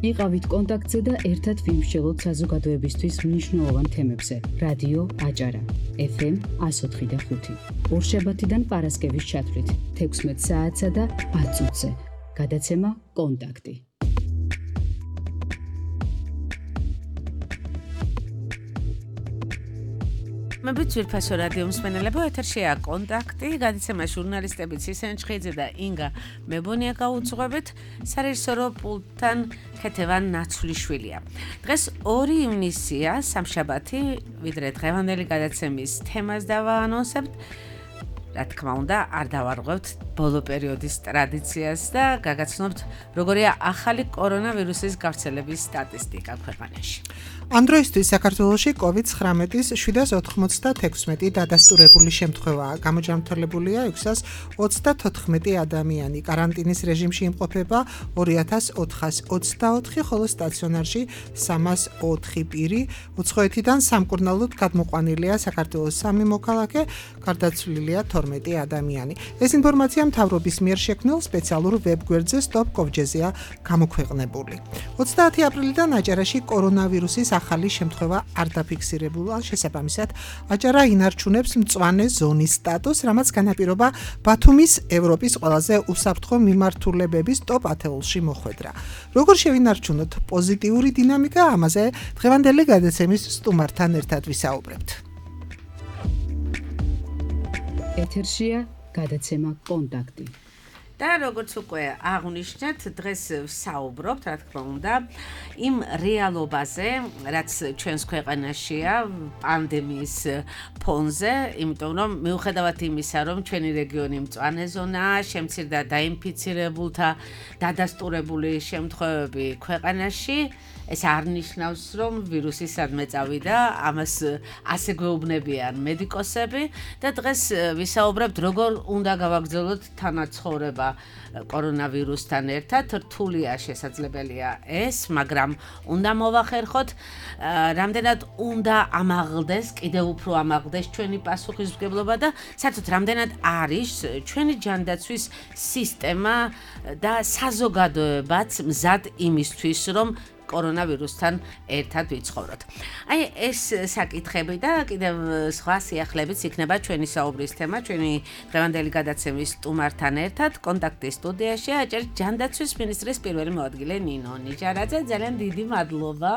იყავით კონტაქტზე და ერთად ვიმსჯელოთ საზოგადოებისთვის მნიშვნელოვან თემებზე. რადიო აჭარა, FM 104.5. ორშაბათიდან პარასკევის ჩათვლით 16 საათსა და 10 წუთზე. გადაცემა კონტაქტი. მებით ძვირფასო რადიო მსმენელებო, ეთერშია კონტაქტი, გადაცემა ჟურნალისტები ცისენ ჩხიძე და ინგა მებონია გაუძღვებით, სარეჟისორო პულტთან ქეთევან ნაცვლიშვილია. დღეს 2 ივნისია, სამშაბათი, ვიდრე დღევანდელი გადაცემის თემას დავაანონსებთ. რა თქმა უნდა, არ დავარღვევთ ბოლო პერიოდის ტრადიციას და გაგაცნობთ, როგორია ახალი კორონავირუსის გავრცელების სტატისტიკა ქვეყანაში. ამ დროისთვის საქართველოში COVID-19-ის 796 დადასტურებული შემთხვევაა. გამოჯამრთელებულია 634 ადამიანი. კარანტინის რეჟიმში იმყოფება 2424, ხოლო სტაციონარში 304 პირი. უცხოეთიდან სამკურნალოდ გადმოყვანილია საქართველოს 3 მოქალაქე, გარდაცვლილია 12 ადამიანი. ეს ინფორმაცია მთავრობის მიერ შექმნილ სპეციალურ ვებგვერდზე stop.gov-ზეა გამოქვეყნებული. 30 აპრილიდან აჭარაში კორონავირუსის ახალი შემთხვევა არ დაფიქსირებულა, შესაბამისად, აჭარა ინარჩუნებს მწვანე ზონის სტატუსს, რამაც განაპირობა ბათუმის ევროპის ყველაზე უსაფრთხო მიმართულებების ტოპ 10-ში მოხვედრა. როგორ შევინარჩუნოთ პოზიტიური დინამიკა, ამაზე დღევანდელი გადაცემის სტუმართან ერთად ვისაუბრებთ. ეთერშია გადაცემა კონტაქტი. და როგორც უკვე აღნიშნეთ, დღეს ვსაუბრობთ, რა თქმა უნდა, იმ რეალობაზე, რაც ჩვენს ქვეყანაშია პანდემიის ფონზე, იმიტომ რომ მიუხედავად იმისა, რომ ჩვენი რეგიონი მწვანე ზონაა, შემცირდა დაინფიცირებულთა დადასტურებული შემთხვევები ქვეყანაში, ეს არ ნიშნავს, რომ ვირუსი სადმე წავიდა, ამას ასე გვეუბნებიან მედიკოსები და დღეს ვისაუბრებთ, როგორ უნდა გავაგრძელოთ თანაცხოვრება კორონავირუსთან ერთად. რთულია შესაძლებელია ეს, მაგრამ უნდა მოვახერხოთ, რამდენად უნდა ამაღლდეს, კიდევ უფრო ამაღლდეს ჩვენი პასუხისმგებლობა და საერთოდ რამდენად არის ჩვენი ჯანდაცვის სისტემა და საზოგადოებაც მზად იმისთვის, რომ კორონავირუსთან ერთად ვიცხოვროთ. აი ეს საკითხები და კიდევ სხვა სიახლეებიც იქნება ჩვენი საუბრის თემა, ჩვენი დღევანდელი გადაცემის სტუმართან ერთად კონტაქტის სტუდიაში აჭარის ჯანდაცვის მინისტრის პირველი მოადგილე ნინო ნიჟარაძე. ძალიან დიდი მადლობა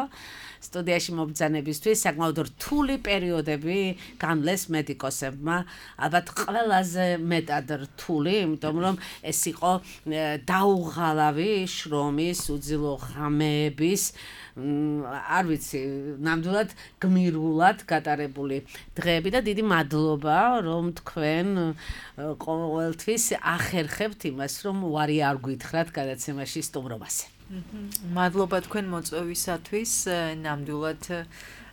სტუდიაში მობრძანებისთვის. საკმაოდ რთული პერიოდები განვლეს მედიკოსებმა, ალბათ ყველაზე მეტად რთული, იმიტომ რომ ეს იყო დაუღალავი შრომის, უძილო ღამეების, არ ვიცი, ნამდვილად გმირულად გატარებული დღეები და დიდი მადლობა, რომ თქვენ ყოველთვის ახერხებთ იმას, რომ უარი არ გითხრათ გადაცემაში სტუმრობაზე. მადლობა თქვენ მოწვევისათვის, ნამდვილად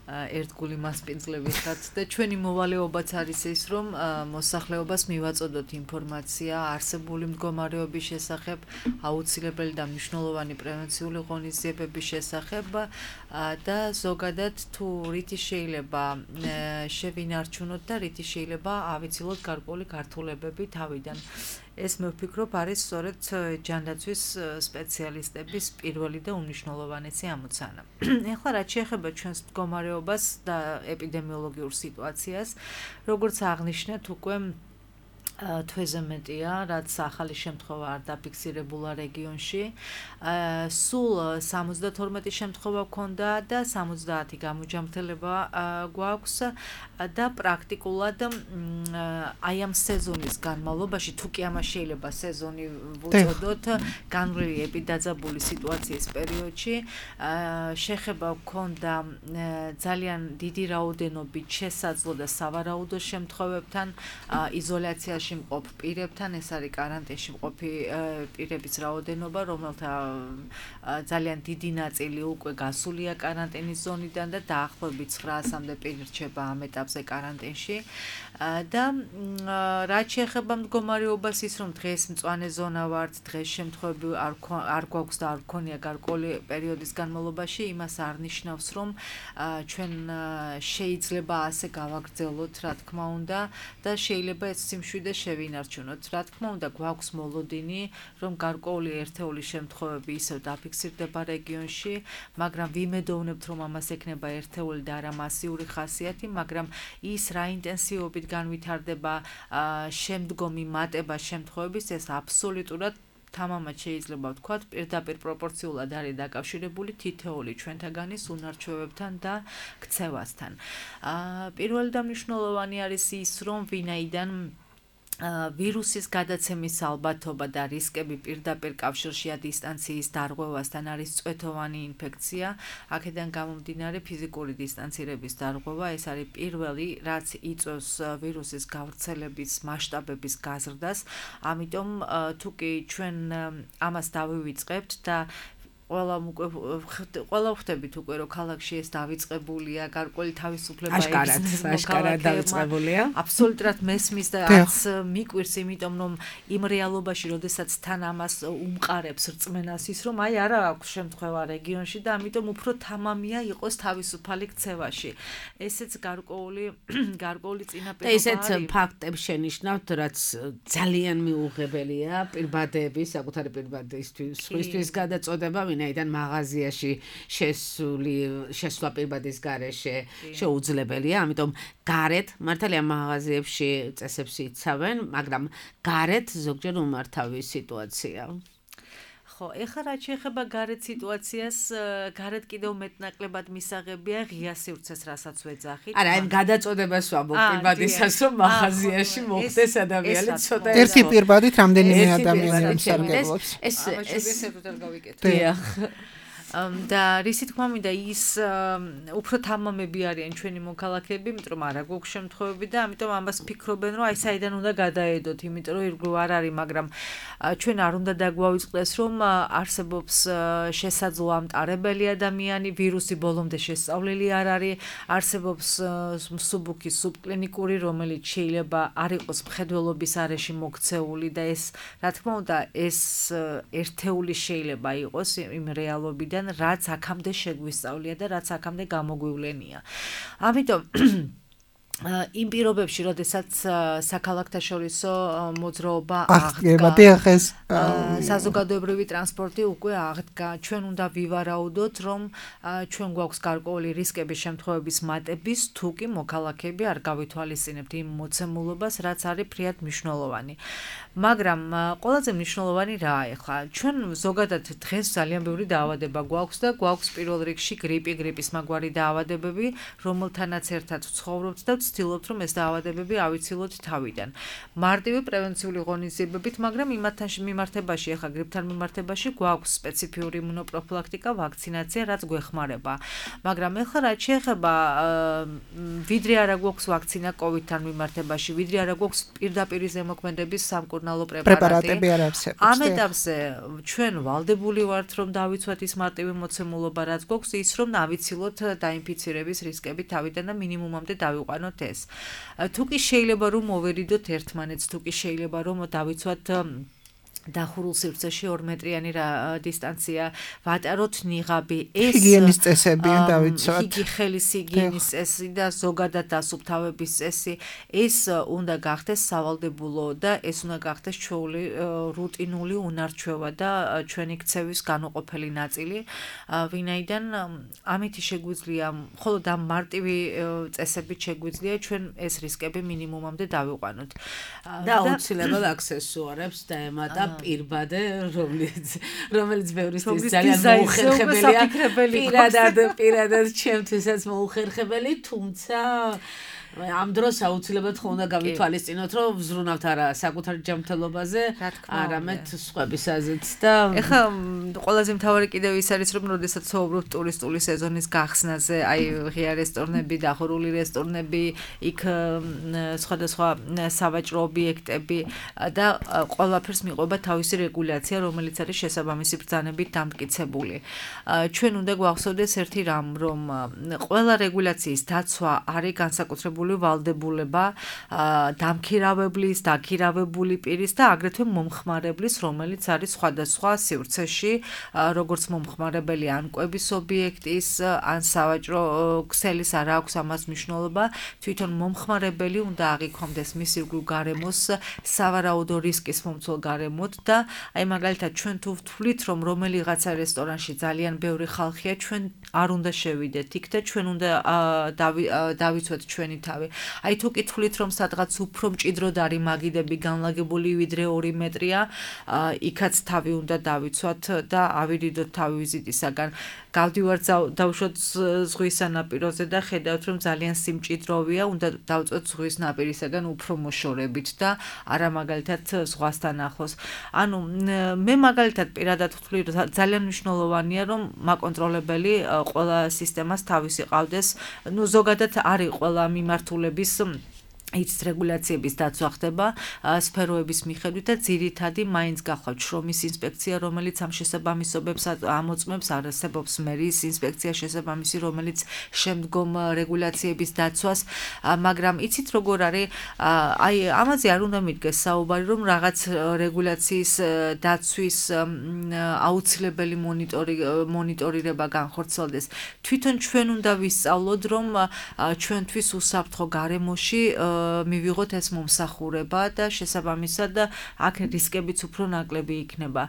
ერთგული მასპინძლები ხართ და ჩვენი მოვალეობაც არის ის, რომ მოსახლეობას მივაწოდოთ ინფორმაცია არსებული მდგომარეობის შესახებ, აუცილებელი და მნიშვნელოვანი პრევენციული ღონისძიებების შესახებ და ზოგადად თუ რითი შეიძლება შევინარჩუნოთ და რითი შეიძლება ავიცილოთ გარკვეული გართულებები თავიდან. ეს მე ვფიქრობ არის სწორედ ჯანდაცვის სპეციალისტების პირველი და უმნიშვნელოვანესი ამოცანა. ეხლა რაც შეეხება ჩვენს მდგომარეობას და ეპიდემიოლოგიურ სიტუაციას, როგორც აღნიშნეთ, უკვე თვეზე მეტია, რაც ახალი შემთხვევა არ დაფიქსირებულა რეგიონში. სულ 72 შემთხვევა გვქონდა და 70 გამოჯამრთელება გვაქვს და პრაქტიკულად აი ამ სეზონის განმავლობაში, თუ კი ამას შეიძლება სეზონი ვუწოდოთ, განვლილი ეპიდაძაბული სიტუაციის პერიოდში, შეხება გვქონდა ძალიან დიდი რაოდენობით შესაძლო და სავარაუდო შემთხვევებთან, იზოლაციაში მყოფ პირებთან, ეს არის კარანტინში მყოფი პირების რაოდენობა, რომელთა ძალიან დიდი ნაწილი უკვე გასულია კარანტინის ზონიდან და დაახლოებით 900-მდე პირი რჩება ამ ეტაპზე კარანტინში. და რაც შეეხება მდგომარეობას, ის რომ დღეს მწვანე ზონა ვართ, დღეს შემთხვევები არ გვაქვს და არ გქონია გარკვეული პერიოდის განმავლობაში, იმას არ ნიშნავს, რომ ჩვენ შეიძლება ასე გავაგრძელოთ, რა თქმა უნდა, და შეიძლება ეს სიმშვიდე შევინარჩუნოთ. რა თქმა უნდა, გვაქვს მოლოდინი, რომ გარკვეული ერთეული შემთხვევები ისევ დაფიქსირდება რეგიონში, მაგრამ ვიმედოვნებთ, რომ ამას ექნება ერთეული და არა მასიური ხასიათი, მაგრამ ის რა ინტენსივობით განვითარდება შემდგომი მატება შემთხვევების, ეს აბსოლუტურად თამამად შეიძლება ვთქვათ, პირდაპირ პროპორციულად არის დაკავშირებული თითოეული ჩვენთაგანის უნარჩვევებთან და ქცევასთან. პირველი და მნიშვნელოვანი არის ის, რომ ვინაიდან ვირუსის გადაცემის ალბათობა და რისკები პირდაპირ კავშირშია დისტანციის დარღვევასთან არის წვეთოვანი ინფექცია. აქედან გამომდინარე ფიზიკური დისტანცირების დარღვევა ეს არის პირველი, რაც იწვევს ვირუსის გავრცელების მასშტაბების გაზრდას. ამიტომ თუ კი ჩვენ ამას დავივიწყებთ და ყველა ვხვდებით უკვე რომ ქალაქში ეს დავიწყებულია, გარკვეული თავისუფლება აშკარად დავიწყებულია. აბსოლუტურად მესმის და არც მიკვირს, იმიტომ რომ იმ რეალობაში, როდესაც თან ამას უმყარებს რწმენას ის, რომ აი არა აქვს შემთხვევა რეგიონში და ამიტომ უფრო თამამია იყოს თავისუფალი ქცევაში. ესეც გარკვეული წინაპირობა არის. ესეც ფაქტებს შენიშნავთ, რაც ძალიან მიუღებელია პირბადების, საკუთარი პირბადისთვის გადაწოდება, ვინაიდან მაღაზიაში შესვლა პირბადის გარეშე შეუძლებელია, ამიტომ გარეთ მართალია მაღაზიებში წესებს იცავენ, მაგრამ გარეთ ზოგჯერ უმართავი სიტუაცია. ხო, ეხლა რაც შეეხება გარეთ სიტუაციას, გარეთ კიდევ მეტნაკლებად მისაღებია ღია სივრცეს, რასაც ვეძახით. არა, აი გადაწოდებას ვამბობ პირბადისას, რომ მაღაზიაში მოხდეს ადამიანი ცოტა ერთი პირბადით რამდენიმე ადამიანი მსარგებლობს. ეს გავიკეთე. და რისი თქმა მინდა ის უფრო თამამები არიან ჩვენი მოქალაქეები, იმიტომ რომ არა გვაქვს შემთხვევები და ამიტომ ამას ფიქრობენ, რომ აი საიდან უნდა გადაედოთ, იმიტომ რომ ირგვლივ არ არის, მაგრამ ჩვენ არ უნდა დაგვავიწყდეს, რომ არსებობს შესაძლო ამტარებელი ადამიანი, ვირუსი ბოლომდე შესწავლილი არ არის, არსებობს მსუბუქი სუბკლინიკური, რომელიც შეიძლება არ იყოს მხედველობის არეში მოქცეული და ეს, რა თქმა უნდა, ეს ერთეული შეიძლება იყოს იმ რეალობიდან, რაც აქამდე შეგვისწავლია და რაც აქამდე გამოგვივლენია. ამიტომ იმ პირობებში, როდესაც საქალაქთაშორისო მოძრაობა აღდგა, საზოგადოებრივი ტრანსპორტი უკვე აღდგა, ჩვენ უნდა ვივარაუდოთ, რომ ჩვენ გვაქვს გარკვეული რისკების შემთხვევების მატების, თუ კი მოქალაქეები არ გავითვალისწინებთ იმ მოცემულობას, რაც არის ფრიად მნიშვნელოვანი. მაგრამ ყველაზე მნიშვნელოვანი რაა ახლა? ჩვენ ზოგადად დღეს ძალიან ბევრი დაავადება გვაქვს და გვაქვს პირველ რიგში გრიპის მაგვარი დაავადებები, რომელთანაც ერთად ვცხოვრობთ და ვცდილობთ, რომ ეს დაავადებები ავიცილოთ თავიდან. მარტივი პრევენციული ღონისძიებებით, მაგრამ იმათთან მიმართებაში, ახლა გრიპთან მიმართებაში გვაქვს სპეციფიური იმუნოპროფილაქტიკა, ვაქცინაცია, რაც გვეხმარება. მაგრამ ახლა რაც შეეხება ვიდრე არა გვაქვს ვაქცინა COVID-თან მიმართებაში, ვიდრე არა გვაქვს პირდაპირ ზემოქმედების სამკურნალო პრეპარატები არ არსებობს. ამ ეტაპზე ჩვენ ვალდებული ვართ, რომ დავიცვათ ის მარტივი მოცემულობა, რაც გვაქვს, ის რომ ავიცილოთ დაინფიცირების რისკები თავიდან და მინიმუმამდე დავიყვანოთ ეს. თუ კი შეიძლება რომ მოვერიდოთ ერთმანეთს, თუ კი შეიძლება რომ დავიცვათ დახურულ სივრცეში 2 მეტრიანი დისტანცია, ვატაროთ ნიღაბი, ეს ჰიგიენის წესები დავიცვათ. ხელის ჰიგიენის წესი და ზოგადად დასუფთავების წესი, ეს უნდა გახდეს სავალდებულო და ეს უნდა გახდეს ჩვეული რუტინული უნარჩვევა და ჩვენი ქცევის განუყოფელი ნაწილი, ვინაიდან ამით შეგვიძლია, მხოლოდ ამ მარტივი წესებით შეგვიძლია ჩვენ ეს რისკები მინიმუმამდე დავიყვანოთ. და აუცილებლად აქსესუარებს დაემატა პირბადე, რომელიც ბევრისთვის ძალიან მოუხერხებელია. პირადად ჩემთვისაც მოუხერხებელი, თუმცა ამ დროს აუცილებლად ხო უნდა გავითვალისწინოთ, რომ ვზრუნავთ არა საკუთარ ჯანმრთელობაზე, არამედ სხვებისაზეც და ეხლა ყველაზე მთავარი კიდევ ის არის, რომ როდესაც ვსაუბრობთ ტურისტული სეზონის გახსნაზე, აი ღია რესტორნები, დახურული რესტორნები, იქ სხვადასხვა სავაჭრო ობიექტები და ყველაფერს მიყვება თავისი რეგულაცია, რომელიც არის შესაბამისი ბრძანებით დამტკიცებული. ჩვენ უნდა გვახსოვდეს ერთი რამ, რომ ყველა რეგულაციის დაცვა არის განსაკუთრებული განსაკუთრებული ვალდებულება დამქირავებლის, დაქირავებული პირის და აგრეთვე მომხმარებლის, რომელიც არის სხვადასხვა სივრცეში, როგორც მომხმარებელი ან კვების ობიექტის, ან სავაჭრო ქსელის არა აქვს ამას მნიშვნელობა, თვითონ მომხმარებელი უნდა აღიქვამდეს მის ირგვლივ გარემოს სავარაუდო რისკის მომცველ გარემოთ და აი მაგალითად ჩვენ თუ ვთვლით რომ რომელიღაცა რესტორანში ძალიან ბევრი ხალხია, ჩვენ არ უნდა შევიდეთ იქ და ჩვენ უნდა დავიცვათ ჩვენი თავი. აი თუ კი თვლით რომ სადღაც უფრო მჭიდროდ არის მაგიდები განლაგებული ვიდრე 2 მეტრია, იქაც თავი უნდა დავიცვათ და ავირიდოთ თავი ვიზიტისაგან. გავდივართ დავუშვათ ზღვის სანაპიროზე და ხედავთ რომ ძალიან სიმჭიდროვეა, უნდა დავწვეთ ზღვის ნაპირისაგან უფრო მოშორებით და არა მაგალითად ზღვასთან ახლოს. ანუ მე მაგალითად პირადად ვთვლი რომ ძალიან მნიშვნელოვანია რომ მაკონტროლებელი ყველა სისტემას თავისი ყავდეს. ნუ ზოგადად არის ყველა მიმართულების იცით რეგულაციების დაცვა ხდება სფეროების მიხედვით და ძირითადი მაინც გახლავთ შრომის ინსპექცია, რომელიც ამ შესაბამისობებს ამოწმებს, არსებობს მერის ინსპექცია შესაბამისი, რომელიც შემდგომ რეგულაციების დაცვას, მაგრამ იცით როგორ არის, აი ამაზე არ უნდა მიდგეს საუბარი, რომ რაღაც რეგულაციის დაცვის აუცილებელი მონიტორირება განხორციელდეს. თვითონ ჩვენ უნდა ვისწავლოთ, რომ ჩვენთვის უსაფრთხო გარემოში მივიღოთ ეს მომსახურება და შესაბამისად აქ რისკებიც უფრო ნაკლები იქნება.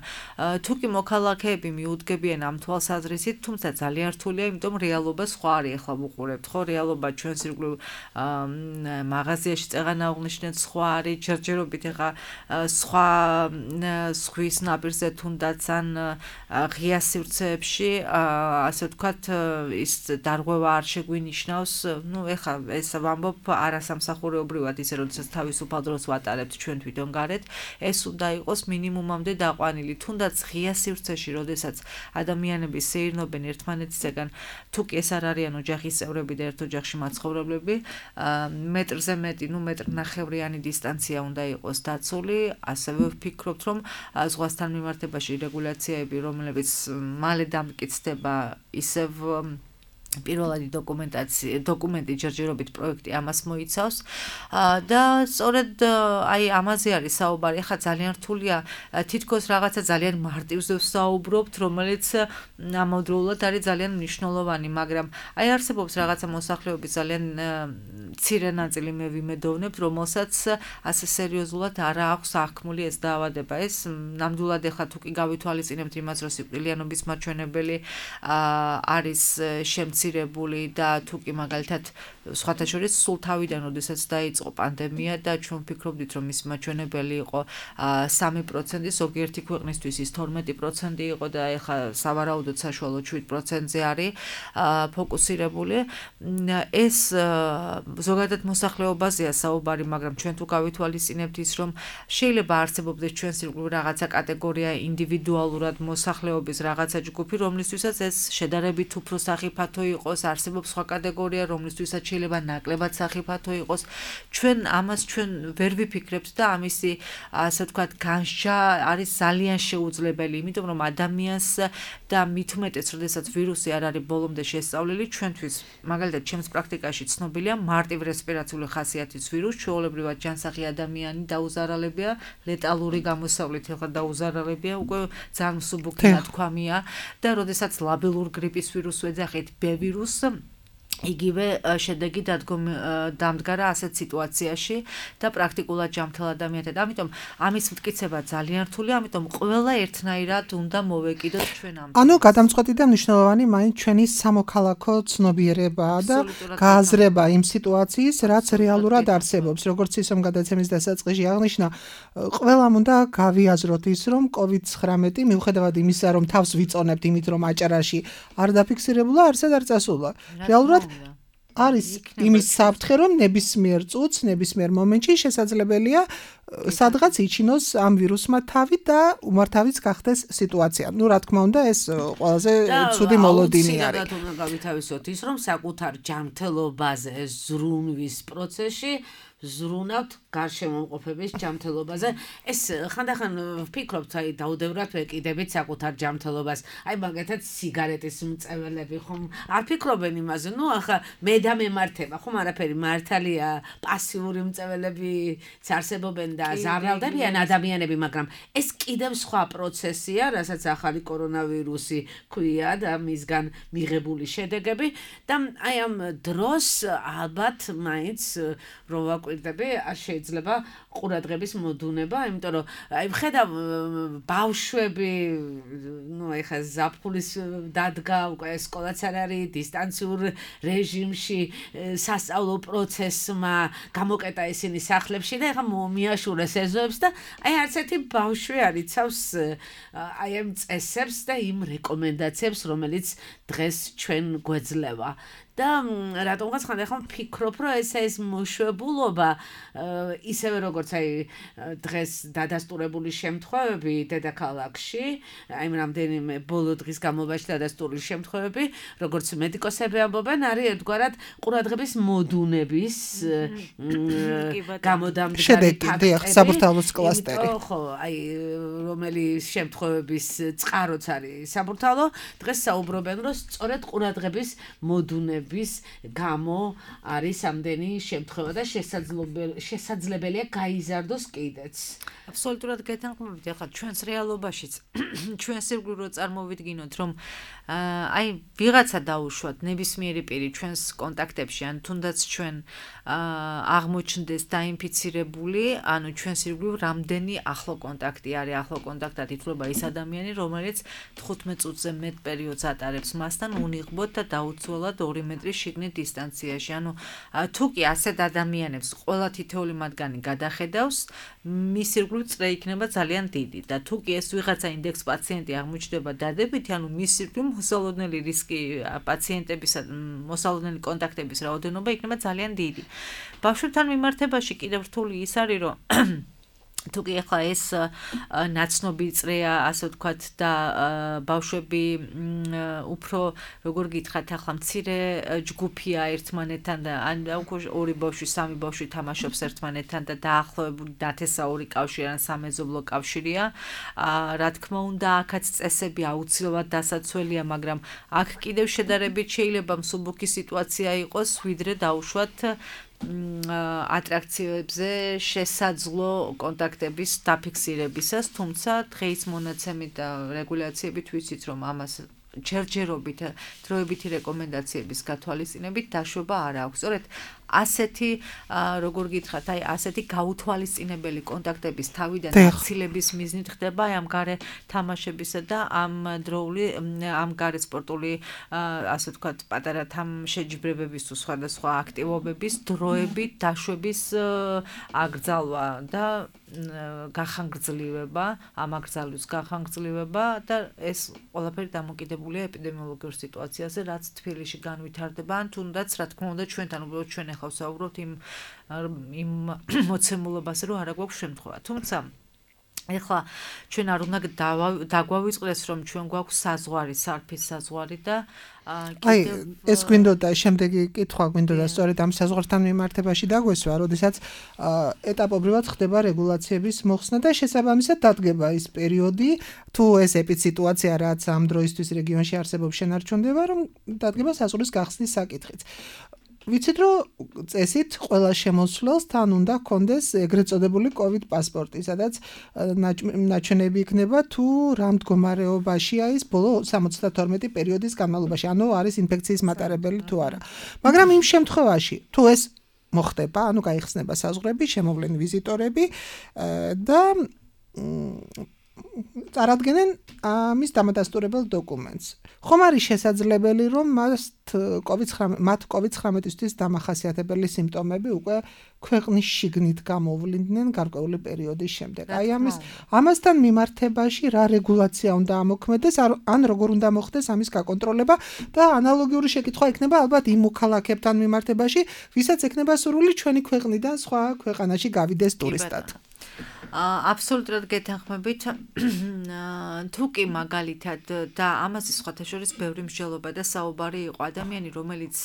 თუ კი მოქალაქეები მიუდგებიან ამ თვალსაზრისით, თუმცა ძალიან რთულია, იმიტომ რეალობა სხვა არის, ახლა ვუყურებთ, ხო, რეალობა ჩვენს ირგვლივ მაღაზიაში წეღანა აღნიშნეთ სხვა არის, ჯერჯერობით ახლა სხვა ზღვის ნაპირზე თუნდაც ან ღია სივრცეებში, ასე ვთქვათ, ის დარღვევა არ შეგვინიშნავს, ნუ ახლა ეს ვამბობ არასამსახურეობრივად ისე როდესაც თავისუფალ დროს ვატარებთ ჩვენ თვითონ გარეთ, ეს უნდა იყოს მინიმუმამდე დაყვანილი. თუნდაც ღია სივრცეში, როდესაც ადამიანები სეირნობენ ერთმანეთისგან, თუ კი ეს არ არიან ოჯახის წევრები და ერთ ოჯახში მაცხოვრებლები, მეტრზე მეტი, ნუ მეტრნახევრიანი დისტანცია უნდა იყოს დაცული. ასევე ვფიქრობთ, რომ ზღვასთან მიმართებაში რეგულაციები, რომლებიც მალე დამტკიცდება, ისევ პირველადი დოკუმენტი ჯერჯერობით პროექტი ამას მოიცავს და სწორედ აი ამაზე არის საუბარი. ახლა ძალიან რთულია თითქოს რაღაცა ძალიან მარტივზე ვსაუბრობთ, რომელიც ამავდროულად არის ძალიან მნიშვნელოვანი, მაგრამ აი არსებობს რაღაცა მოსახლეობის ძალიან მცირე ნაწილი მე ვიმედოვნებ, რომელსაც ასე სერიოზულად არ აქვს აღქმული ეს დაავადება. ეს ნამდვილად ახლა თუ კი გავითვალისწინებთ იმას, რომ სიკვდილიანობის მაჩვენებელი არის შემცირებული და თუ კი მაგალითად სხვათა შორის სულ თავიდან, როდესაც დაიწყო პანდემია და ჩვენ ვფიქრობდით, რომ ის მაჩვენებელი იყო 3%, ზოგიერთი ქვეყნისთვის ის 12% იყო და ეხლა სავარაუდოდ საშუალო 7%-ზე არის ფოკუსირებული. ეს ზოგადად მოსახლეობაზეა საუბარი, მაგრამ ჩვენ თუ გავითვალისწინებთ ის, რომ შეიძლება არსებობდეს ჩვენს ირგვლივ რაღაცა კატეგორია ინდივიდუალურად მოსახლეობის რაღაცა ჯგუფი, რომლისთვისაც ეს შედარებით უფრო სახიფათო იყოს, არსებობს სხვა კატეგორია, რომლისთვისაც შეიძლება ნაკლებად სახიფათო იყოს. ჩვენ ამას ვერ ვიფიქრებთ და ამისი, ასე ვთქვათ, განსჯა არის ძალიან შეუძლებელი, იმიტომ რომ ადამიანს და მით უმეტეს, როდესაც ვირუსი არ არის ბოლომდე შესწავლილი, ჩვენთვის, მაგალითად, ჩემს პრაქტიკაში ცნობილია მარტივ რესპირაციული ხასიათის ვირუსი, ჩვეულებრივად ჯანსაღი ადამიანი დაუზარალებია, ლეტალური გამოსავლით ახლა დაუზარალებია, უკვე ძალიან მსუბუქი ნათქვამია და როდესაც ლაბელურ გრიპის ვირუსს ვეძახით B ვირუსს, იგივე შედეგი დამდგარა ასეთ სიტუაციაში და პრაქტიკულად ჯანმრთელ ადამიანთან. ამიტომ ამის მტკიცება ძალიან რთულია, ამიტომ ყველა ერთნაირად უნდა მოვეკიდოთ ჩვენ ამ. ანუ გადამწყვეტი და მნიშვნელოვანი მაინც ჩვენი სამოქალაქო ცნობიერებაა და გააზრება იმ სიტუაციის, რაც რეალურად არსებობს. როგორც ისომ გადაცემის დასაწყისში აღნიშნა, ყველამ უნდა გავიაზროთ ის, რომ COVID-19 მიუხედავად იმისა, რომ თავს ვიწონებთ იმით, რომ აჭარაში არ დაფიქსირებულა, არსად არ წასულა. რეალურად არის იმის საფრთხე, რომ ნებისმიერ წუთს, ნებისმიერ მომენტში შესაძლებელია სადღაც იჩინოს ამ ვირუსმა თავი და უმართავიც გახდეს სიტუაცია. ნუ რა თქმა უნდა, ეს ყველაზე ცუდი მოლოდინი არის. და გავითავისოთ ის, რომ საკუთარ ჯანმრთელობაზე ზრუნვის პროცესში ზრუნავთ გარშემომყოფების ჯანმრთელობაზე. ეს ხანდახან ვფიქრობთ, აი დაუდევრად ვეკიდებით საკუთარ ჯანმრთელობას. აი მაგათაც სიგარეტის მწეველები ხომ არ ფიქრობენ იმაზე, ნუ ახლა მე და მემართება, ხომ არაფერი მართალია, პასიური მწეველები არსებობენ და ზარალდებიან ადამიანები, მაგრამ ეს კიდევ სხვა პროცესია, რასაც ახალი კორონავირუსი ქვია და მისგან მიღებული შედეგები და აი ამ დროს ალბათ მაინც რომ ვაკვირდები, არ შეიძლება ყურადღების მოდუნება, იმიტომ რომ აი ვხედავ ბავშვები, ნუ ეხა ზაფხულის დადგა, უკვე სკოლაც არ არის, დისტანციურ რეჟიმში სასწავლო პროცესმა გამოკეტა ისინი სახლებში და ეხა მიაშურეს ეზოებს და აი არც ერთი ბავშვი არ იცავს აი ამ წესებს და იმ რეკომენდაციებს, რომელიც დღეს ჩვენ გვეძლევა. და რატომღაც ხანდახან ვფიქრობ, რომ ეს მოშვებულობა ისევე როგორც აი დღეს დადასტურებული შემთხვევები დედაქალაქში, აი რამდენიმე ბოლო დღის განმავლობაში დადასტურებული შემთხვევები, როგორც მედიკოსები ამბობენ, არის ერთგვარად ყურადღების მოდუნების გამოდამდგარი ფაქტები, საბურთალოს კლასტერი. ხო, აი რომელი შემთხვევების წყაროც არის საბურთალო, დღეს საუბრობენ, რომ სწორედ ყურადღების მოდუნების გამო არის ამდენი შემთხვევა და შესაძლებელია გაიზარდოს კიდეც. აბსოლუტურად გეთანხმებით, ახლა ჩვენს რეალობაშიც ჩვენს ირგვლივ რო წარმოვიდგინოთ, რომ აი ვიღაცა დაუშვათ ნებისმიერი პირი ჩვენს კონტაქტებში, ან თუნდაც ჩვენ აღმოჩნდეს დაინფიცირებული, ანუ ჩვენს ირგვლივ რამდენი ახლო კონტაქტი არის, ახლო კონტაქტად ითვლება ის ადამიანი, რომელიც 15 წუთზე მეტ პერიოდს ატარებს მასთან უნიღბოდ და დაუცველად 2 მეტრის შიგნით დისტანციაში. ანუ თუ კი ასეთ ადამიანებს ყველა თითოეული მათგანი გადახედავს, მის ირგვლივ წრე იქნება ძალიან დიდი და თუ კი ეს ვიღაცა ინდექს პაციენტი აღმოჩნდება დადებითი, ანუ მის ირგვლივ მოსალოდნელი რისკი პაციენტებისა, მოსალოდნელი კონტაქტების რაოდენობა იქნება ძალიან დიდი. ბავშვებთან მიმართებაში კიდევ რთული ის არის, რომ თუ კი ახლა ეს ნაცნობი წრეა, ასე ვთქვათ, და ბავშვები უფრო როგორ გითხრათ, ახლა მცირე ჯგუფია ერთმანეთთან და ან უკვე 2 ბავშვი, 3 ბავშვი თამაშობს ერთმანეთთან და დაახლოებული ნათესაური კავშირი ან სამეზობლო კავშირია. რა თქმა უნდა, აქაც წესები აუცილებლად დასაცველია, მაგრამ აქ კიდევ შედარებით შეიძლება მსუბუქი სიტუაცია იყოს, ვიდრე დაუშვათ ატრაქციებზე შესაძლო კონტაქტების დაფიქსირებისას, თუმცა დღეის მონაცემით და რეგულაციებით ვიცით, რომ ამას ჯერჯერობით დროებითი რეკომენდაციების გათვალისწინებით დაშვება არ აქვს. სწორედ ასეთი როგორ გითხრათ, აი ასეთი გაუთვალისწინებელი კონტაქტების თავიდან აცილების მიზნით ხდება აი ამ გარე თამაშებისა და ამ დროული ამ გარე სპორტული ასე ვთქვათ პატარა თამშეჯიბრებების თუ სხვადასხვა აქტივობების დროებით დაშვების აკრძალვა და გახანგრძლივება, ამ აკრძალვის გახანგრძლივება და ეს ყველაფერი დამოკიდებულია ეპიდემიოლოგიურ სიტუაციაზე, რაც თბილისში განვითარდება, ან თუნდაც რა თქმა უნდა ჩვენთან უბრალოდ ჩვენ ახლა ვსაუბრობთ იმ მოცემულობაზე, რომ არა გვაქვს შემთხვევა. თუმცა ეხლა ჩვენ არ უნდა დაგვავიწყდეს, რომ ჩვენ გვაქვს საზღვარი, სარფის საზღვარი და აი ეს გვინდოდა შემდეგი კითხვა გვინდოდა სწორედ ამ საზღვართან მიმართებაში დაგვესვა, როდესაც ეტაპობრივად ხდება რეგულაციების მოხსნა და შესაბამისად დადგება ის პერიოდი, თუ ეს ეპიდსიტუაცია რაც ამ დროისთვის რეგიონში არსებობს შენარჩუნდება, რომ დადგება საზღვრის გახსნის საკითხიც. ვიცით, რომ წესით ყველა შემოსვლელს თან უნდა ჰქონდეს ეგრეთ წოდებული COVID პასპორტი, სადაც ნაჩვენები იქნება თუ რა მდგომარეობაშია ის ბოლო 72 პერიოდის განმავლობაში, ანუ არის ინფექციის მატარებელი თუ არა. მაგრამ იმ შემთხვევაში, თუ ეს მოხდება, ანუ გაიხსნება საზღვრები, შემოვლენ ვიზიტორები და წარადგენენ ამის დამადასტურებელ დოკუმენტს. ხომ არის შესაძლებელი, რომ მათ COVID-19-ისთვის დამახასიათებელი სიმპტომები უკვე ქვეყნის შიგნით გამოვლიდნენ გარკვეული პერიოდის შემდეგ. აი ამასთან მიმართებაში რა რეგულაცია უნდა ამოქმედდეს, ან როგორ უნდა მოხდეს ამის გაკონტროლება და ანალოგიური შეკითხვა იქნება ალბათ იმ მოქალაქეებთან მიმართებაში, ვისაც ექნება სურვილი ჩვენი ქვეყნიდან სხვა ქვეყანაში გავიდეს ტურისტად. აბსოლუტურად გეთანხმებით. თუ კი მაგალითად და ამაზე სხვათა შორის ბევრი მსჯელობა და საუბარი იყო ადამიანი, რომელიც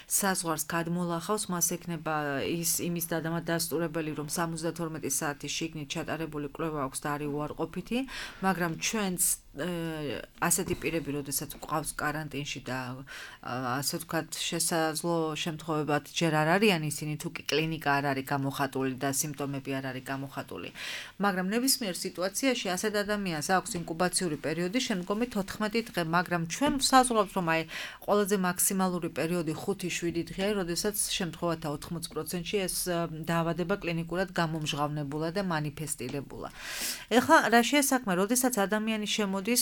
საზღვარს გადმოლახავს, მას ექნება იმის დასტურებელი, რომ 72 საათის შიგნით ჩატარებული კვლევა აქვს და არის უარყოფითი, მაგრამ ჩვენც ასეთი პირები, როდესაც ყავს კარანტინში და ასე ვთქვათ, შესაძლო შემთხვევებად ჯერ არ არიან ისინი, თუ კი კლინიკა არ არის გამოხატული და სიმპტომები არ არის გამოხატული. მაგრამ ნებისმიერ სიტუაციაში ასეთ ადამიანს აქვს ინკუბაციური პერიოდი შემდგომი 14 დღე, მაგრამ ჩვენ ვსაზღვრავთ, რომ აი ყველაზე მაქსიმალური პერიოდი 5-7 დღეა, როდესაც შემთხვევათა 80%-ში ეს დაავადება კლინიკურად გამომჟღავნებულა და მანიფესტირებულა. ეხლა რა შეესაქმე, როდესაც ადამიანი შემოდის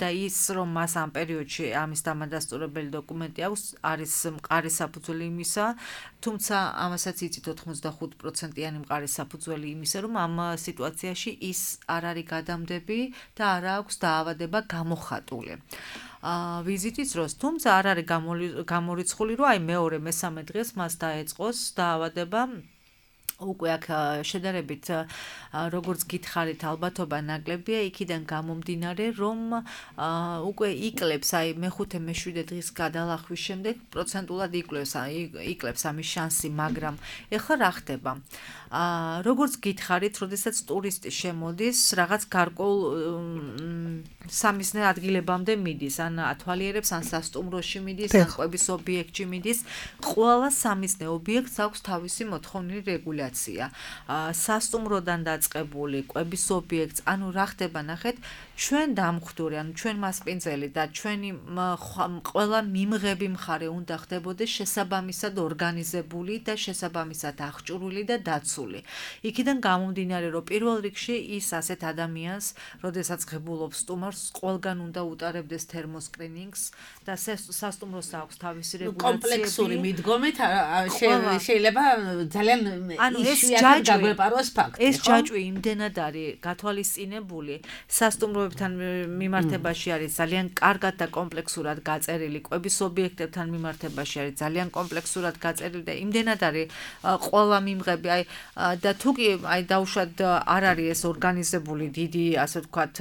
და ის რომ მას ამ პერიოდში ამის დამადასტურებელი დოკუმენტი აქვს, არის მყარი საფუძველი იმისა, თუმცა ამასაც იცით 85%-იანი მყარი საფუძველი იმისა, რომ ამ სიტუაციაში ის არ არის გადამდები და არ აქვს დაავადება გამოხატული. ვიზიტის დროს, თუმცა არ არის გამორიცხული, რომ აი მეორე მესამე დღეს მას დაეწყოს დაავადება. უკვე აქ შედარებით როგორც გითხარით ალბათობა ნაკლებია იქიდან გამომდინარე რომ უკვე იკლებს აი მე-5 მე-7 დღის გადალახვის შემდეგ პროცენტულად იკლებს ამის შანსი მაგრამ ეხლა რა ხდება როგორც გითხარით როდესაც ტურისტი შემოდის რაღაც გარკვეულ სამიზნე ადგილებამდე მიდის ან ათვალიერებს ან სასტუმროში მიდის ან ყვების ობიექტში მიდის ყველა სამიზნე ობიექტს აქვს თავისი მოთხოვნილი რეგულაცია სასტუმროდან დაწყებული ყვების ობიექტს ანუ რა ხდება ნახეთ ჩვენ დამხვდური ანუ ჩვენ მასპინძელი და ჩვენი ყველა მიმღები მხარე უნდა ხდებოდეს შესაბამისად ორგანიზებული და შესაბამისად აღჭურვილი და დაცული იქიდან გამომდინარე რომ პირველ რიგში ის ასეთ ადამიანს როდესაც ღებულობს სტუმარს ყველგან უნდა უტარებდეს თერმოსკრინინგს და სასტუმროს აქვს თავისი რეგულაციები კომპლექსური მიდგომით შეიძლება ძალიან იშვიათად გაგვეპაროს ფაქტი ეს ჯაჭვი იმდენად არის გათვალისწინებული სასტუმროებთან მიმართებაში არის ძალიან კარგად და კომპლექსურად გაწერილი ყვების ობიექტებთან მიმართებაში არის ძალიან კომპლექსურად გაწერილი და იმდენად არის ყველა მიმღები აი და თუკი აი დაუშვათ არ არის ეს ორგანიზებული დიდი ასე ვთქვათ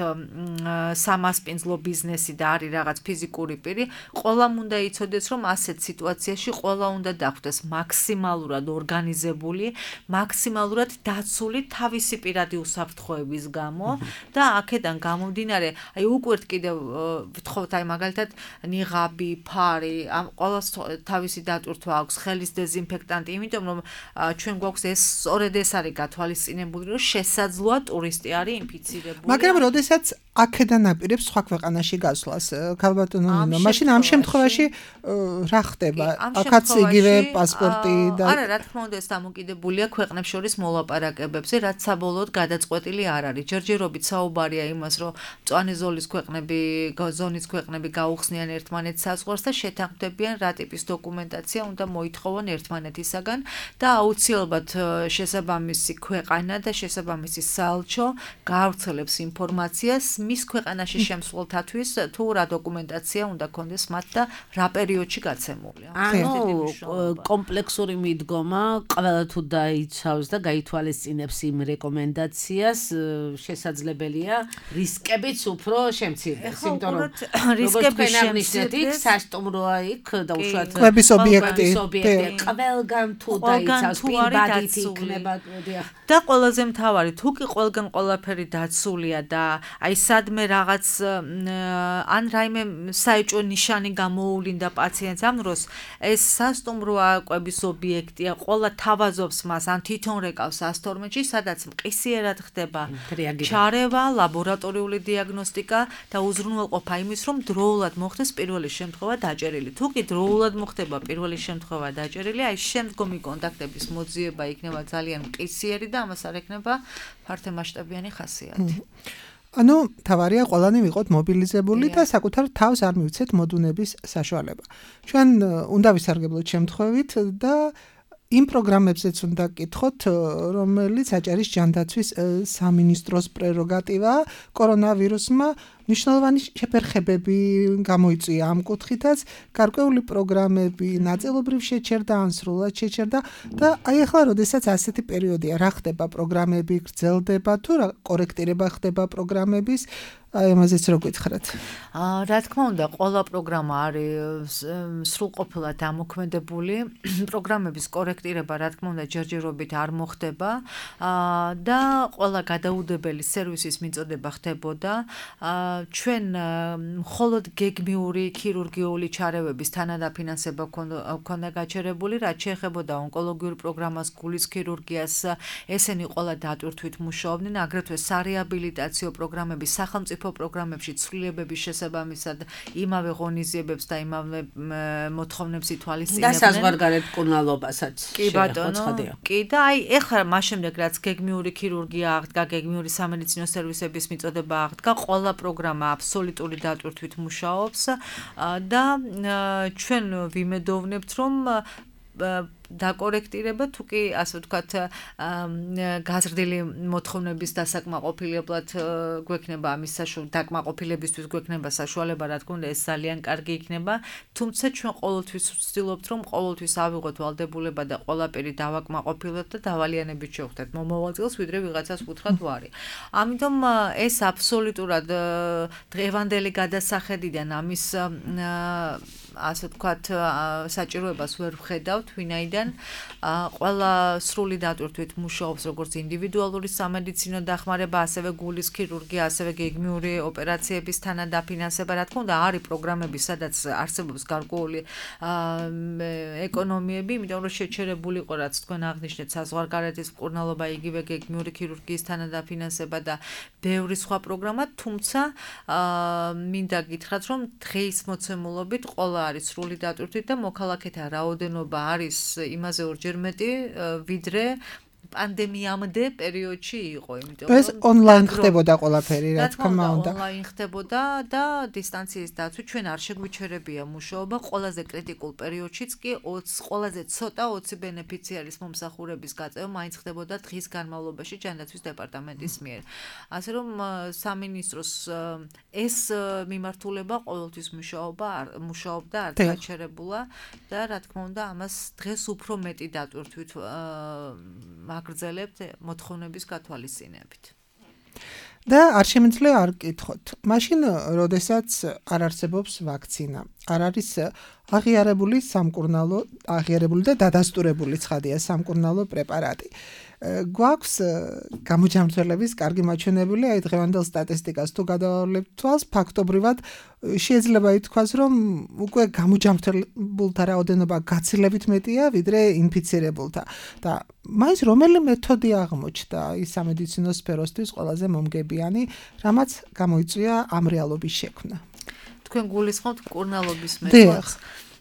სამასპინძლო ბიზნესი და არის რაღაც ფიზიკური პირი ყველამ უნდა იცოდეს რომ ასეთ სიტუაციაში ყველა უნდა დახვდეს მაქსიმალურად ორგანიზებული მაქსიმალურად დაცული თავისი პირადი უსაფრთხოების გამო და აქედან გამომდინარე აი უკვირთ კიდევ ვთხოვთ აი მაგალითად ნიღაბი ფარი ამ ყველას თავისი დატვირთვა აქვს ხელის დეზინფექტანტი იმიტომ რომ ჩვენ გვაქვს ეს სწორედ ეს არის გათვალისწინებული რომ შესაძლოა ტურისტი არის ინფიცირებული მაგრამ როდესაც აქედან აპირებს სხვა ქვეყანაში გასვლას ქალბატონო ნინო მაშინ ამ შემთხვევაში რა ხდება აქაც იგივე პასპორტი და არა რა თქმა უნდა ეს დამოკიდებულია ქვეყნებს შორის მოლაპარაკებებზე რაც საბოლოოდ გადაწყვეტილი არ არის ჯერჯერობით საუბარია იმას რომ მწვანე ზოლის ქვეყნები ზონის ქვეყნები გაუხსნიან ერთმანეთს საზღვარს და შეთანხმდებიან რა ტიპის დოკუმენტაცია უნდა მოითხოვონ ერთმანეთისაგან და აუცილებლად შესაბამისი ქვეყანა და შესაბამისი საელჩო გაავრცელებს ინფორმაციას მის ქვეყანაში შემსვლელთათვის თუ რა დოკუმენტაცია უნდა კონდეს მათ და რა პერიოდში გაცემული. ანუ კომპლექსური მიდგომა ყველა თუ დაიცავს და გაითვალისწინებს იმ რეკომენდაციას შესაძლებელია რისკებიც უფრო შემცირდეს. იმიტომ რომ რისკების შემცირდეს სასტუმროა იქ და უშუალოდ ყვების ობიექტი ყველგან თუ დაიცავს პირბადით იქნება და ყველაზე მთავარი თუ კი ყველგან ყველაფერი დაცულია და აი სადმე რაღაც ან რაიმე საეჭვო ნიშანი გამოუვლინდა პაციენტს ამ დროს ეს სასტუმროა ყვების ობიექტია ყველა თავაზობს მას ან თვითონ რეკავს 112-ში სადაც მყისიერად ხდება ჩარევა ლაბორატორიული დიაგნოსტიკა და უზრუნველყოფა იმის რომ დროულად მოხდეს პირველი შემთხვევა დაჭერილი თუ კი დროულად მოხდება პირველი შემთხვევა დაჭერილი აი შემდგომი კონტაქტების მოძიება იქნება ძალიან მყისიერი და ამას არ ექნება ფართომასშტაბიანი ხასიათი ანუ თავარია ყველანი ვიყოთ მობილიზებული და საკუთარ თავს არ მივცეთ მოდუნების საშუალება. ჩვენ უნდა ვისარგებლოთ შემთხვევით და იმ პროგრამებზეც უნდა გკითხოთ, რომელიც აჭარის ჯანდაცვის სამინისტროს პრეროგატივაა კორონავირუსმა მნიშვნელოვანი შეფერხებები გამოიწვია ამ კუთხითაც, გარკვეული პროგრამები ნაწილობრივ შეჩერდა, ან სრულად შეჩერდა და აი ახლა როდესაც ასეთი პერიოდია, რა ხდება, პროგრამები გრძელდება თუ რა კორექტირება ხდება პროგრამების, აი ამაზეც რო გითხრათ. რა თქმა უნდა, ყველა პროგრამა არის სრულყოფილად დამოქმედებული. პროგრამების კორექტირება, რა თქმა უნდა, ჯერჯერობით არ მოხდება და ყველა გადაუდებელი სერვისის მიწოდება ხდებოდა. ჩვენ მხოლოდ გეგმიური ქირურგიული ჩარევების თანადაფინანსება ჰქონდა გაჩერებული, რაც შეეხებოდა ონკოლოგიურ პროგრამას, გულის ქირურგიას, ესენი ყველა დატვირთვით მუშაობდნენ, აგრეთვე სარეაბილიტაციო პროგრამები სახელმწიფო პროგრამებში ცვლილებების შესაბამისად იმავე ღონისძიებებს და იმავე მოთხოვნებს ითვალისწინებდნენ. და საზღვარგარეთ მკურნალობასაც. კი ბატონო. კი და აი ეხლა მას შემდეგ რაც გეგმიური ქირურგია აღდგა, გეგმიური სამედიცინო სერვისების მიწოდება აღდგა, ყველა პროგრამა აბსოლუტური დატვირთვით მუშაობს და ჩვენ ვიმედოვნებთ, რომ დაკორექტირება თუ კი ასე ვთქვათ გაზრდილი მოთხოვნების დასაკმაყოფილებლად გვექნება ამის დაკმაყოფილებისთვის გვექნება საშუალება, რა თქმა უნდა ეს ძალიან კარგი იქნება, თუმცა ჩვენ ყოველთვის ვცდილობთ რომ ყოველთვის ავიღოთ ვალდებულება და ყველაფერი დავაკმაყოფილოთ და დავალიანებით შევხვდეთ მომავალ წელს ვიდრე ვიღაცას ვუთხრათ ვარი. ამიტომ ეს აბსოლუტურად დღევანდელი გადასახედიდან ამის ასე ვთქვათ საჭიროებას ვერ ვხედავთ, ვინაიდან ყველა სრული დატვირთვით მუშაობს როგორც ინდივიდუალური სამედიცინო დახმარება, ასევე გულის ქირურგია, ასევე გეგმიური ოპერაციების თანადაფინანსება, რა თქმა უნდა, არის პროგრამები, სადაც არსებობს გარკვეული ეკონომიები, იმიტომ რომ შეჩერებული იყო, რაც თქვენ აღნიშნეთ, საზღვარგარეთის მკურნალობა, იგივე გეგმიური ქირურგიის თანადაფინანსება და ბევრი სხვა პროგრამა, თუმცა მინდა გითხრათ, რომ დღეის მოცემულობით ყველა არის სრული დატვირთვით და მოქალაქეთა რაოდენობა არის იმაზე ორჯერ მეტი, ვიდრე პანდემიამდე პერიოდში იყო, იმიტომ რომ ეს ონლაინ ხდებოდა ყველაფერი, რა თქმა უნდა. ონლაინ ხდებოდა და დისტანციის დაცვით ჩვენ არ შეგვიჩერებია მუშაობა, ყველაზე კრიტიკულ პერიოდშიც კი ყველაზე ცოტა 20 ბენეფიციარის მომსახურების გაწევა მაინც ხდებოდა დღის განმავლობაში ჯანდაცვის დეპარტამენტის მიერ. ასე რომ სამინისტროს ეს მიმართულება ყოველთვის მუშაობდა, არ გაჩერებულა და რა თქმა უნდა ამას დღეს უფრო მეტი დატვირთვით აგრძელებთ მოთხოვნების გათვალისწინებით. და არ შემიძლია არ გკითხოთ. მაშინ, როდესაც არ არსებობს ვაქცინა, არ არის აღიარებული და დადასტურებული ცხადია სამკურნალო პრეპარატი. გვაქვს გამოჯამრთველების კარგი მაჩვენებელი, აი დღევანდელ სტატისტიკას თუ გადავავლებთ თვალს, ფაქტობრივად შეიძლება ითქვას, რომ უკვე გამოჯამრთლებულთა რაოდენობა გაცილებით მეტია, ვიდრე ინფიცირებულთა. და მაინც რომელი მეთოდი აღმოჩნდა ის სამედიცინო სფეროსთვის ყველაზე მომგებიანი, რამაც გამოიწვია ამ რეალობის შექმნა. თქვენ გულისხმობთ მკურნალობის მეთოდს.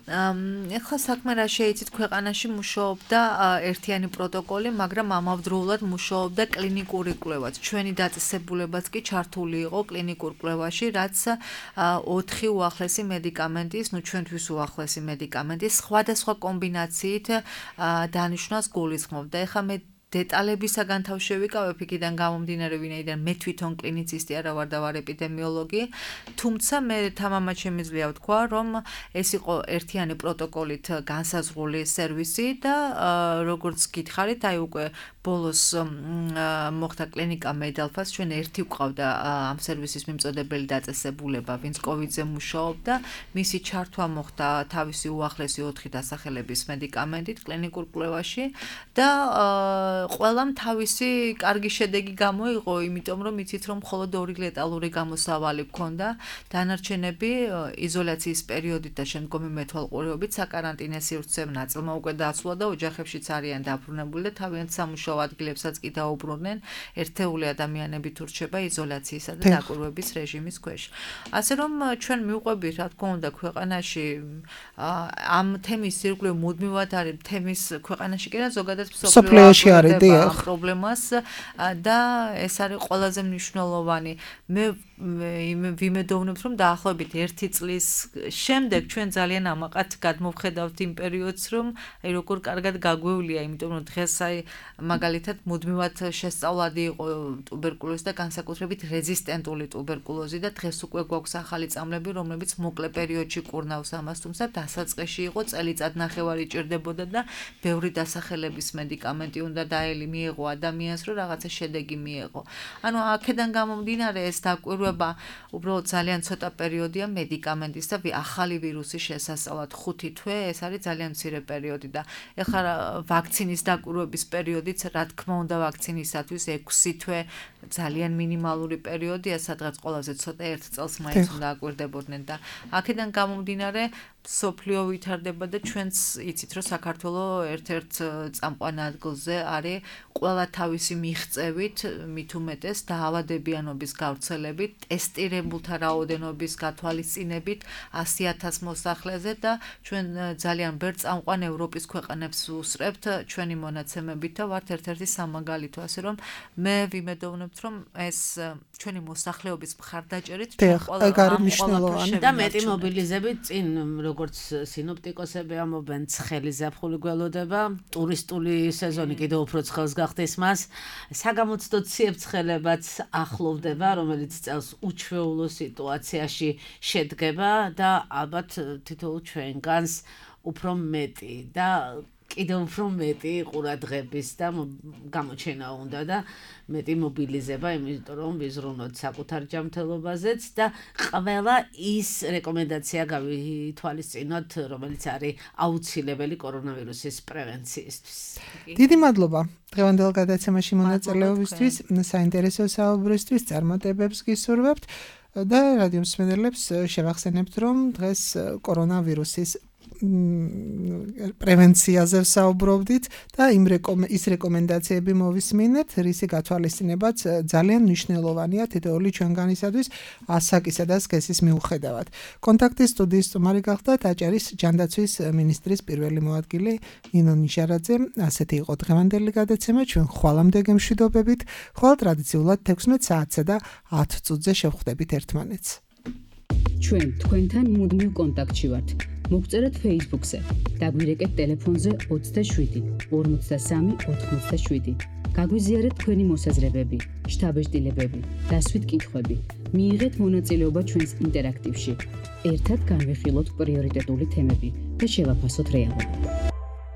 ეხლა საქმე რა შეიცით, ქვეყანაში მუშაობდა ერთიანი პროტოკოლი, მაგრამ ამავდროულად მუშაობდა კლინიკური კვლევაც. ჩვენი დაწესებულებაც კი ჩართული იყო კლინიკურ კვლევაში, რაც 4 უახლესი მედიკამენტის, ჩვენთვის უახლესი მედიკამენტის სხვადასხვა კომბინაციით დანიშვნას გულისხმობდა. ეხლა მე დეტალებისაგან თავ შევიკავებ იქიდან გამომდინარე, ვინაიდან მე თვითონ კლინიცისტი არა ვარ და ვარ ეპიდემიოლოგი, თუმცა მე თამამად შემიძლია ვთქვა, რომ ეს იყო ერთიანი პროტოკოლით განსაზღვრული სერვისი და როგორც გითხარით, აი უკვე ბოლოს მოხდა კლინიკა მედალფას, ჩვენ ერთი ვყავდა ამ სერვისის მიმწოდებელი დაწესებულება, ვინც კოვიდზე მუშაობდა, მისი ჩართვა მოხდა თავისი უახლესი 4 დასახელების მედიკამენტით კლინიკურ კვლევაში და ყველამ თავისი კარგი შედეგი გამოიღო, იმიტომ რომ იცით რომ მხოლოდ 2 ლეტალური გამოსავალი ჰქონდა, დანარჩენები იზოლაციის პერიოდით და შემდგომი მეთვალყურეობით საკარანტინო სივრცემ ნაწილმა უკვე დაცულა და ოჯახებშიც არიან დაბრუნებული და თავიანთ სამუშაო ადგილებსაც კი დაუბრუნდნენ, ერთეული ადამიანები თუ რჩება იზოლაციისა და დაკვირვების რეჟიმის ქვეშ. ასე რომ ჩვენ მივყვებით, რა თქმა უნდა, ქვეყანაში ამ თემის ირგვლივ მუდმივად არის თემის ქვეყანაში კი რა ზოგადად მსოფლიოში ამ პრობლემას და ეს არის ყველაზე მნიშვნელოვანი. მე ვიმედოვნებთ, რომ დაახლოებით 1 წლის შემდეგ ჩვენ ძალიან ამაყად გადმოვხედავთ იმ პერიოდს, რომ აი როგორ კარგად გაგვევლია, იმიტომ რომ დღეს აი მაგალითად მუდმივად შესწავლადი იყო ტუბერკულოზი და განსაკუთრებით რეზისტენტული ტუბერკულოზი და დღეს უკვე გვაქვს ახალი წამლები, რომლებიც მოკლე პერიოდში კურნავს ამას, თუმცა დასაწყისში იყო წელიწადნახევარი ჭირდებოდა და ბევრი დასახელების მედიკამენტი უნდა მიეღო ადამიანს, რომ რაღაცა შედეგი მიეღო. ანუ აქედან გამომდინარე ეს დაკვირვება უბრალოდ ძალიან ცოტა პერიოდია მედიკამენტის და ახალი ვირუსის შესასწავლად 5 თვე, ეს არის ძალიან მცირე პერიოდი და ეხლა ვაქცინის დაკვირვების პერიოდიც, რა თქმა უნდა, ვაქცინისათვის 6 თვე ძალიან მინიმალური პერიოდია, სადღაც ყველაზე ცოტა 1 წელს მაინც უნდა აკვირდებოდნენ და აქედან გამომდინარე სოფლიო ვითარდება და ჩვენც იცით, რომ საქართველოს ერთ-ერთ წამყვან ადგილზე არის ყველა თავისი მიღწევით, მით უმეტეს დაავადებიანობის გავრცელებით, ტესტირებულთა რაოდენობის გათვალისწინებით 100,000 მოსახლეზე და ჩვენ ძალიან ბევრ წამყვან ევროპის ქვეყანებს ვუსწრებთ ჩვენი მონაცემებით და ვართ ერთ-ერთი სამაგალითო, ასე რომ მე ვიმედოვნებთ, რომ ეს ჩვენი მოსახლეობის მხარდაჭერით ჩვენ ყველა და მეტი მობილიზებით წინ როგორც სინოპტიკოსები ამობენ, ცხელი ზაფხული გველოდება, ტურისტული სეზონი კიდევ უფრო ცხელს გახდეს მას, საგამოცდო ციებ-ცხელებაც ახლოვდება, რომელიც წელს უჩვეულო სიტუაციაში შედგება და ალბათ თითოეულ ჩვენგანს უფრო მეტი და კიდევ უფრო მეტი ყურადღების და გამოჩენა უნდა და მეტი მობილიზება, იმიტომ რომ ვიზრუნოთ საკუთარ ჯანმრთელობაზეც და ყველა ის რეკომენდაცია გავითვალისწინოთ, რომელიც არის აუცილებელი კორონავირუსის პრევენციისთვის. დიდი მადლობა დღევანდელ გადაცემაში მონაწილეობისთვის, საინტერესო საუბრისთვის, წარმატებებს გისურვებთ და რადიო მსმენელებს შევახსენებთ, რომ დღეს კორონავირუსის პრევენციაზე ვსაუბრობდით და ის რეკომენდაციები მოვისმინეთ, რისი გათვალისწინებაც ძალიან მნიშვნელოვანია თითოეული ჩვენგანისათვის ასაკისა და სქესის მიუხედავად. კონტაქტის სტუდიის სტუმარი გახდათ აჭარის ჯანდაცვის მინისტრის პირველი მოადგილე ნინო ნიჟარაძე. ასეთი იყო დღევანდელი გადაცემა, ჩვენ ხვალამდე გემშვიდობებით, ხვალ ტრადიციულად 16 საათსა და 10 წუთზე შევხვდებით ერთმანეთს. ჩვენ თქვენთან მუდმივ კონტაქტში ვართ. მოგწერეთ Facebook-ზე, დაგვირეკეთ ტელეფონზე 27 53 87. გაგვიზიარეთ თქვენი მოსაზრებები, შთაბეჭდილებები, დასვით კითხვები. მიიღეთ მონაწილეობა ჩვენს ინტერაქტივში. ერთად განვიხილოთ პრიორიტეტული თემები და შევაფასოთ რეალობა.